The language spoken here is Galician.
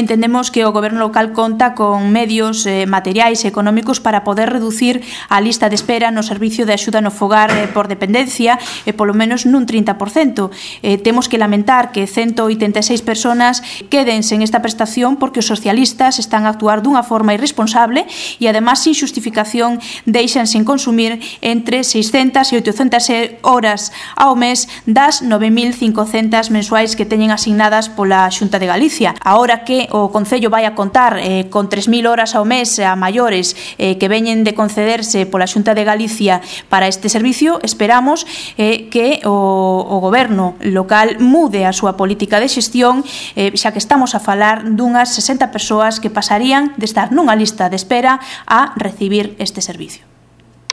Entendemos que o Goberno local conta con medios materiais e económicos para poder reducir a lista de espera no servicio de axuda no fogar por dependencia polo menos nun 30%. Temos que lamentar que 186 personas queden sen esta prestación porque os socialistas están a actuar dunha forma irresponsable e, además, sin xustificación, deixan sen consumir entre 600 e 800 horas ao mes das 9.500 mensuais que teñen asignadas pola Xunta de Galicia. Ahora que o Concello vai a contar con 3.000 horas ao mes a maiores que veñen de concederse pola Xunta de Galicia para este servicio, esperamos que o Goberno local mude a súa política de xestión, xa que estamos a falar dunhas 60 persoas que pasarían de estar nunha lista de espera a recibir este servicio.